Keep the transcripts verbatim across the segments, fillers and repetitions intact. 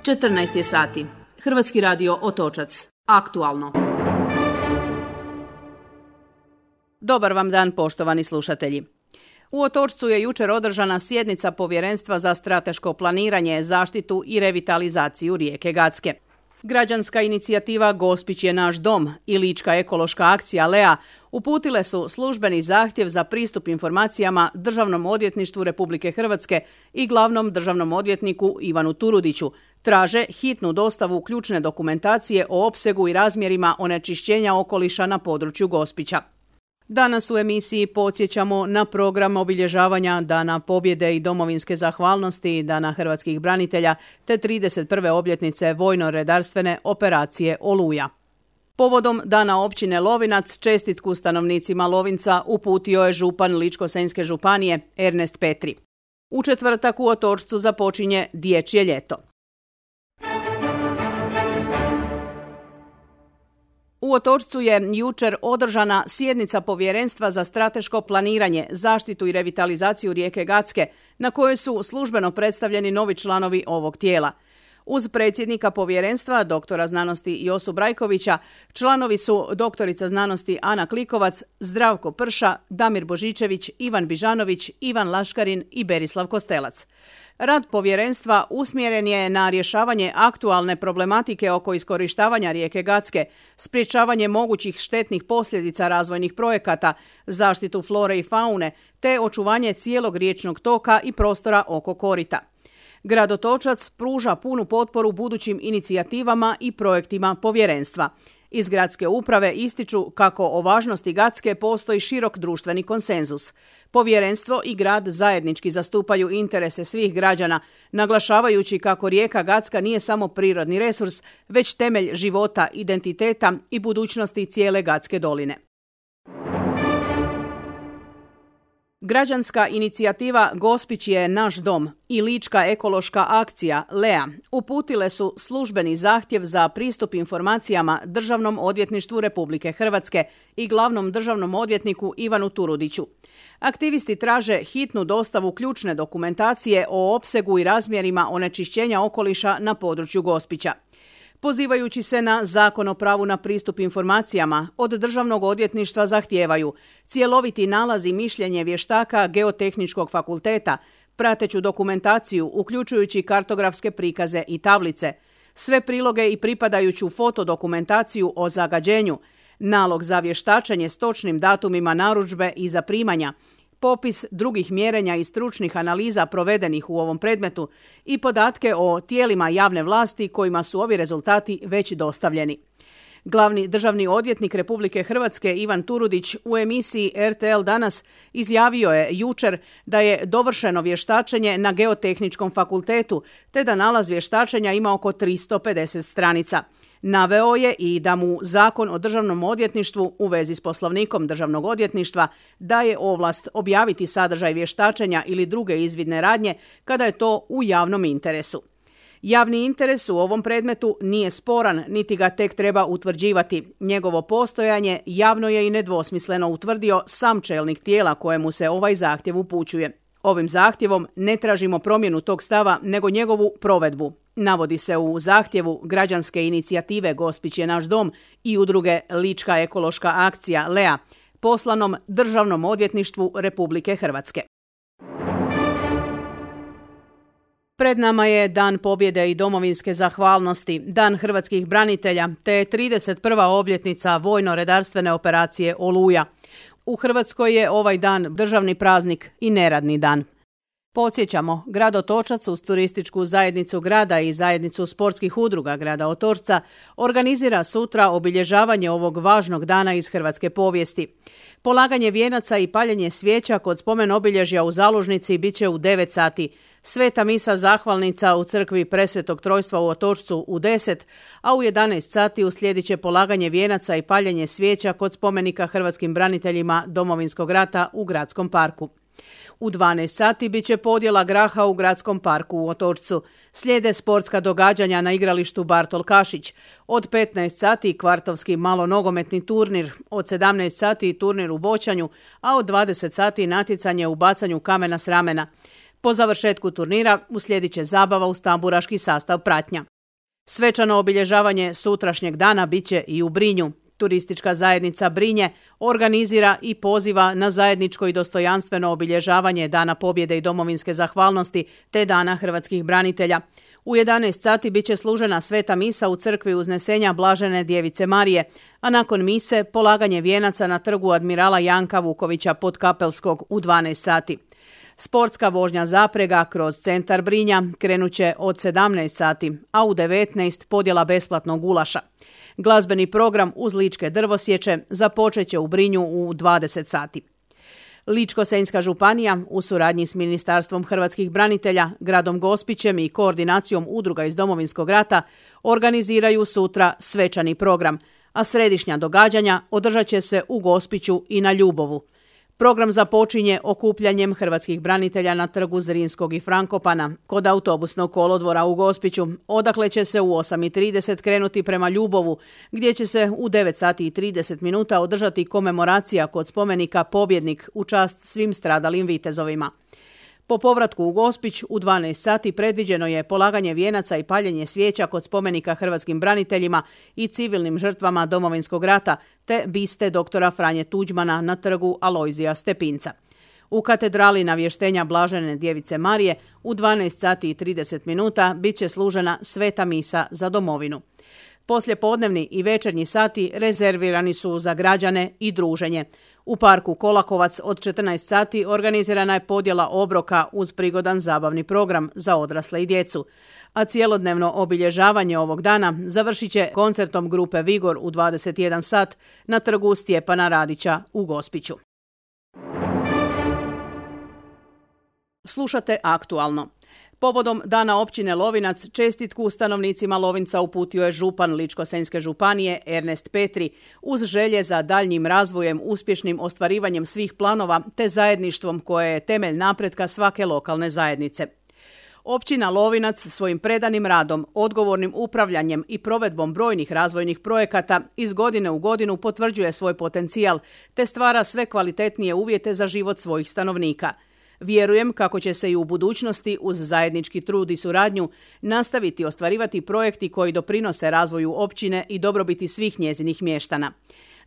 četrnaest je sati. Hrvatski radio Otočac. Aktualno. Dobar vam dan, poštovani slušatelji. U Otočcu je jučer održana sjednica Povjerenstva za strateško planiranje, zaštitu i revitalizaciju rijeke Gacke. Građanska inicijativa Gospić je naš dom i Lička ekološka akcija Lea uputile su službeni zahtjev za pristup informacijama Državnom odvjetništvu Republike Hrvatske i glavnom državnom odvjetniku Ivanu Turudiću. Traže hitnu dostavu ključne dokumentacije o opsegu i razmjerima onečišćenja okoliša na području Gospića. Danas u emisiji podsjećamo na program obilježavanja Dana pobjede i domovinske zahvalnosti, Dana hrvatskih branitelja te trideset prve obljetnice vojno-redarstvene operacije Oluja. Povodom Dana općine Lovinac čestitku stanovnicima Lovinca uputio je župan Ličko-senjske županije Ernest Petri. U četvrtak u Otočcu započinje Dječje ljeto. U Otočcu je jučer održana sjednica Povjerenstva za strateško planiranje, zaštitu i revitalizaciju rijeke Gacke, na kojoj su službeno predstavljeni novi članovi ovog tijela. Uz predsjednika povjerenstva, doktora znanosti Josu Brajkovića, članovi su doktorica znanosti Ana Klikovac, Zdravko Prša, Damir Božičević, Ivan Bižanović, Ivan Laškarin i Berislav Kostelac. Rad povjerenstva usmjeren je na rješavanje aktualne problematike oko iskorištavanja rijeke Gacke, sprječavanje mogućih štetnih posljedica razvojnih projekata, zaštitu flore i faune, te očuvanje cijelog riječnog toka i prostora oko korita. Grad Otočac pruža punu potporu budućim inicijativama i projektima povjerenstva. Iz gradske uprave ističu kako o važnosti Gacke postoji širok društveni konsenzus. Povjerenstvo i grad zajednički zastupaju interese svih građana, naglašavajući kako rijeka Gacka nije samo prirodni resurs, već temelj života, identiteta i budućnosti cijele Gacke doline. Građanska inicijativa Gospić je naš dom i Lička ekološka akcija Lea uputile su službeni zahtjev za pristup informacijama Državnom odvjetništvu Republike Hrvatske i glavnom državnom odvjetniku Ivanu Turudiću. Aktivisti traže hitnu dostavu ključne dokumentacije o opsegu i razmjerima onečišćenja okoliša na području Gospića. Pozivajući se na Zakon o pravu na pristup informacijama, od Državnog odvjetništva zahtijevaju cjeloviti nalaz i mišljenje vještaka Geotehničkog fakulteta, prateću dokumentaciju uključujući kartografske prikaze i tablice, sve priloge i pripadajuću fotodokumentaciju o zagađenju, nalog za vještačenje s točnim datumima narudžbe i zaprimanja, popis drugih mjerenja i stručnih analiza provedenih u ovom predmetu i podatke o tijelima javne vlasti kojima su ovi rezultati već dostavljeni. Glavni državni odvjetnik Republike Hrvatske Ivan Turudić u emisiji R T L Danas izjavio je jučer da je dovršeno vještačenje na Geotehničkom fakultetu te da nalaz vještačenja ima oko tristo pedeset stranica. Naveo je i da mu Zakon o državnom odvjetništvu u vezi s poslovnikom državnog odvjetništva daje ovlast objaviti sadržaj vještačenja ili druge izvidne radnje kada je to u javnom interesu. Javni interes u ovom predmetu nije sporan, niti ga tek treba utvrđivati. Njegovo postojanje javno je i nedvosmisleno utvrdio sam čelnik tijela kojemu se ovaj zahtjev upućuje. Ovim zahtjevom ne tražimo promjenu tog stava, nego njegovu provedbu, navodi se u zahtjevu građanske inicijative Gospić je naš dom i udruge Lička ekološka akcija Lea, poslanom Državnom odvjetništvu Republike Hrvatske. Pred nama je Dan pobjede i domovinske zahvalnosti, Dan hrvatskih branitelja te trideset prva obljetnica vojno-redarstvene operacije Oluja. U Hrvatskoj je ovaj dan državni praznik i neradni dan. Podsjećamo, grad Otočac uz turističku zajednicu grada i zajednicu sportskih udruga grada Otočca organizira sutra obilježavanje ovog važnog dana iz hrvatske povijesti. Polaganje vijenaca i paljenje svijeća kod spomen obilježja u Zalužnici bit će u devet sati, sveta misa zahvalnica u crkvi Presvetog Trojstva u Otočcu u deset, a u jedanaest sati uslijedit će polaganje vijenaca i paljenje svijeća kod spomenika hrvatskim braniteljima Domovinskog rata u Gradskom parku. U dvanaest sati bit će podjela graha u Gradskom parku u Otočcu. Slijede sportska događanja na igralištu Bartol Kašić. Od petnaest sati kvartovski malonogometni turnir, od sedamnaest sati turnir u boćanju, a od dvadeset sati natjecanje u bacanju kamena s ramena. Po završetku turnira uslijedit će zabava uz tamburaški sastav pratnja. Svečano obilježavanje sutrašnjeg dana biće i u Brinju. Turistička zajednica Brinje organizira i poziva na zajedničko i dostojanstveno obilježavanje Dana pobjede i domovinske zahvalnosti te Dana hrvatskih branitelja. U jedanaest sati biće služena sveta misa u crkvi Uznesenja Blažene Djevice Marije, a nakon mise polaganje vijenaca na trgu admirala Janka Vukovića Podkapelskog u dvanaest sati. Sportska vožnja zaprega kroz centar Brinja krenuće od sedamnaest sati, a u devetnaest podjela besplatnog gulaša. Glazbeni program uz ličke drvosječe započet će u Brinju u dvadeset sati. Ličko-senjska županija u suradnji s Ministarstvom hrvatskih branitelja, gradom Gospićem i koordinacijom udruga iz Domovinskog rata organiziraju sutra svečani program, a središnja događanja održat će se u Gospiću i na Ljubovu. Program započinje okupljanjem hrvatskih branitelja na trgu Zrinskog i Frankopana kod autobusnog kolodvora u Gospiću, odakle će se u osam i trideset krenuti prema Ljubovu, gdje će se u devet sati i trideset minuta održati komemoracija kod spomenika Pobjednik u čast svim stradalim vitezovima. Po povratku u Gospić u dvanaest sati predviđeno je polaganje vijenaca i paljenje svijeća kod spomenika hrvatskim braniteljima i civilnim žrtvama Domovinskog rata te biste doktora Franje Tuđmana na trgu Alojzija Stepinca. U katedrali Navještenja Blažene Djevice Marije u dvanaest sati i trideset minuta bit će služena sveta misa za domovinu. Poslijepodnevni i večernji sati rezervirani su za građane i druženje. U parku Kolakovac od četrnaest sati organizirana je podjela obroka uz prigodan zabavni program za odrasle i djecu. A cijelodnevno obilježavanje ovog dana završit će koncertom grupe Vigor u dvadeset jedan sat na trgu Stjepana Radića u Gospiću. Slušate Aktualno. Povodom Dana općine Lovinac čestitku stanovnicima Lovinca uputio je župan Ličko-senjske županije Ernest Petri uz želje za daljnjim razvojem, uspješnim ostvarivanjem svih planova te zajedništvom koje je temelj napretka svake lokalne zajednice. Općina Lovinac svojim predanim radom, odgovornim upravljanjem i provedbom brojnih razvojnih projekata iz godine u godinu potvrđuje svoj potencijal te stvara sve kvalitetnije uvjete za život svojih stanovnika. Vjerujem kako će se i u budućnosti uz zajednički trud i suradnju nastaviti ostvarivati projekti koji doprinose razvoju općine i dobrobiti svih njezinih mještana.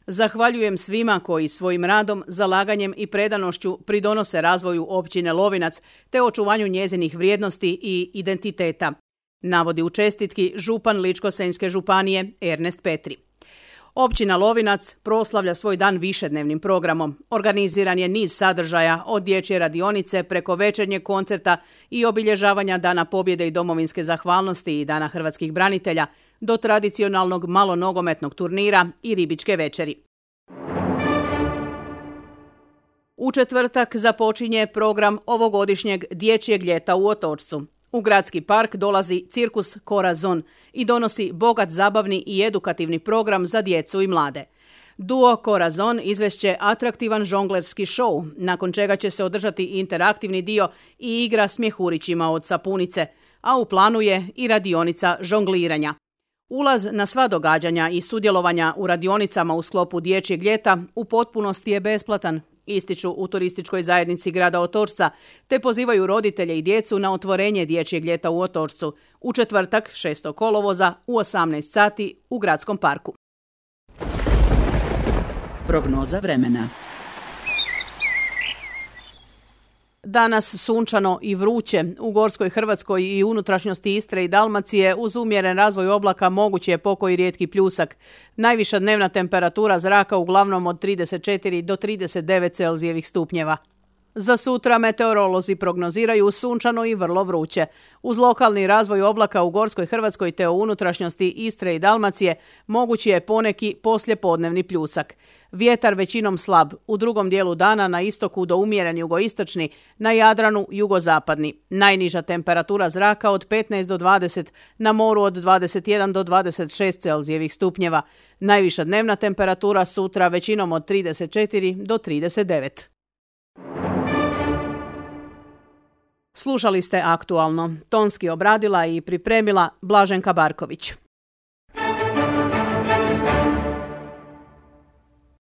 Zahvaljujem svima koji svojim radom, zalaganjem i predanošću pridonose razvoju općine Lovinac te očuvanju njezinih vrijednosti i identiteta, navodi u čestitki župan Ličko-senjske županije Ernest Petri. Općina Lovinac proslavlja svoj dan višednevnim programom. Organiziran je niz sadržaja od dječje radionice preko večernjeg koncerta i obilježavanja Dana pobjede i domovinske zahvalnosti i Dana hrvatskih branitelja do tradicionalnog malonogometnog turnira i ribičke večeri. U četvrtak započinje program ovogodišnjeg dječjeg ljeta u Otočcu. U gradski park dolazi cirkus Corazon i donosi bogat zabavni i edukativni program za djecu i mlade. Duo Corazon izvešće atraktivan žonglerski šou, nakon čega će se održati interaktivni dio i igra s mjehurićima od sapunice, a u planu je i radionica žongliranja. Ulaz na sva događanja i sudjelovanja u radionicama u sklopu dječjeg ljeta u potpunosti je besplatan, ističu u turističkoj zajednici grada Otočca, te pozivaju roditelje i djecu na otvorenje dječjeg ljeta u Otočcu u četvrtak šestog kolovoza u osamnaest sati u gradskom parku. Prognoza vremena. Danas sunčano i vruće. U Gorskoj Hrvatskoj i unutrašnjosti Istre i Dalmacije uz umjeren razvoj oblaka mogući je pokoji rijetki pljusak. Najviša dnevna temperatura zraka uglavnom od trideset četiri do trideset devet Celzijevih stupnjeva. Za sutra meteorolozi prognoziraju sunčano i vrlo vruće. Uz lokalni razvoj oblaka u Gorskoj Hrvatskoj te u unutrašnjosti Istre i Dalmacije mogući je poneki poslijepodnevni pljusak. Vjetar većinom slab, u drugom dijelu dana na istoku do umjeren jugoistočni, na Jadranu jugozapadni. Najniža temperatura zraka od petnaest do dvadeset, na moru od dvadeset jedan do dvadeset šest Celzijevih stupnjeva. Najviša dnevna temperatura sutra većinom od trideset četiri do trideset devet. Slušali ste Aktualno. Tonski obradila i pripremila Blaženka Barković.